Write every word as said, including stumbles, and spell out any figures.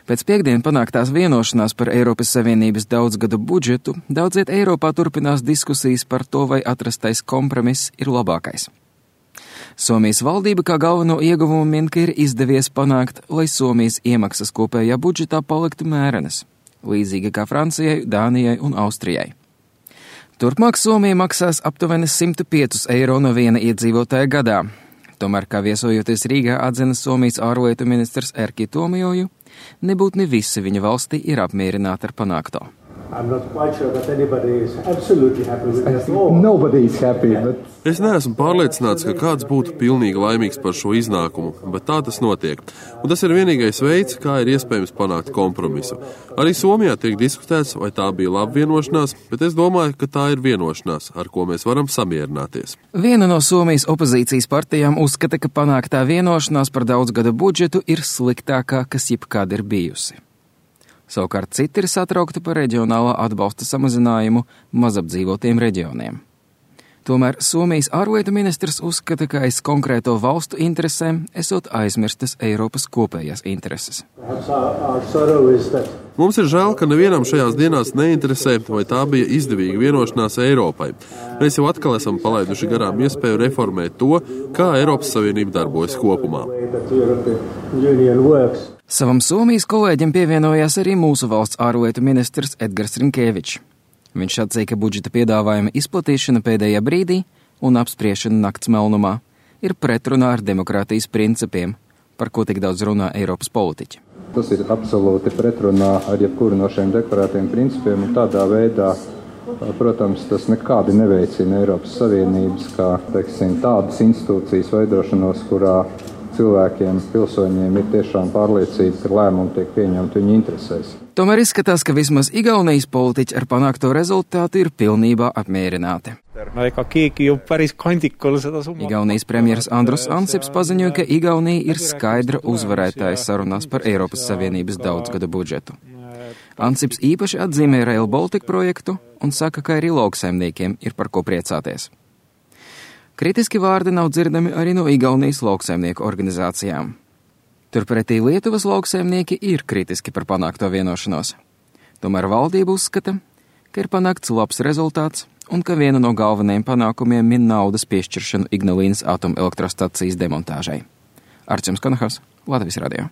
Pēc piekdien panāktās vienošanās par Eiropas Savienības daudzgadu budžetu, daudziet Eiropā turpinās diskusijas par to, vai atrastais kompromiss ir labākais. Somijas valdība kā galveno ieguvumu min, ka ir izdevies panākt, lai Somijas iemaksas kopējā budžetā paliktu mērenas, līdzīgi kā Francijai, Dānijai un Austrijai. Turpmāk Somija maksās aptuveni simt pieci eiro no viena iedzīvotāja gadā. Tomēr, kā viesojoties Rīgā atzina Somijas ārlietu ministrs Erkki Tuomioja, nebūtni visi viņa valstī ir apmierināti ar panākto. Es neesmu pārliecināts, ka kāds būtu pilnīgi laimīgs par šo iznākumu, bet tā tas notiek. Un tas ir vienīgais veids, kā ir iespējams panākt kompromisu. Arī Somijā tiek diskutēts, vai tā bija laba vienošanās, bet es domāju, ka tā ir vienošanās, ar ko mēs varam samierināties. Viena no Somijas opozīcijas partijām uzskata, ka panāktā vienošanās par daudzgada budžetu ir sliktākā, kas jebkad ir bijusi. Savukārt citi ir satraukti par reģionālā atbalsta samazinājumu mazapdzīvotiem reģioniem. Tomēr Somijas ārlietu ministrs uzskata, ka aiz konkrēto valstu interesēm esot aizmirstas Eiropas kopējās intereses. Mums ir žēl, ka nevienam šajās dienās neinteresē, vai tā bija izdevīga vienošanās Eiropai. Mēs jau atkal esam palaiduši garām iespēju reformēt to, kā Eiropas Savienība darbojas kopumā. Savam Somijas kolēģim pievienojās arī mūsu valsts ārlietu ministrs Edgars Rinkēvičs. Viņš atzīja, ka budžeta piedāvājuma izplatīšana pēdējā brīdī un apspriešana nakts melnumā ir pretrunā ar demokrātijas principiem, par ko tik daudz runā Eiropas politiķi. Tas ir absolūti pretrunā ar jebkuru no šiem deklarētiem principiem, un tādā veidā, protams, tas nekādi neveicina Eiropas Savienības kā, teiksim, tādas institūcijas veidošanos, kurā cilvēkiem, pilsoņiem ir tiešām pārliecība, ka lēmumi tiek pieņemti viņu interesēs. Tomēr izskatās, ka vismaz Igaunijas politiķi ar panākto rezultātu ir pilnībā apmierināti. Igaunijas premjeras Andrus Ansips paziņoja, ka Igaunija ir skaidra uzvarētāja sarunās par Eiropas Savienības daudzgada budžetu. Ansips īpaši atzīmē Rail Baltica projektu un saka, ka arī lauksaimniekiem ir par ko priecāties. Kritiski vārdi nav dzirdami arī no Igaunijas lauksaimnieku organizācijām. Turpretī Lietuvas lauksaimnieki ir kritiski par panākto vienošanos. Tomēr valdība uzskata, ka ir panākts labs rezultāts un ka viena no galvenajiem panākumiem min naudas piešķiršanu Ignalīnas atomelektrostacijas demontāžai. Arčuns Konahavs, Latvijas radio.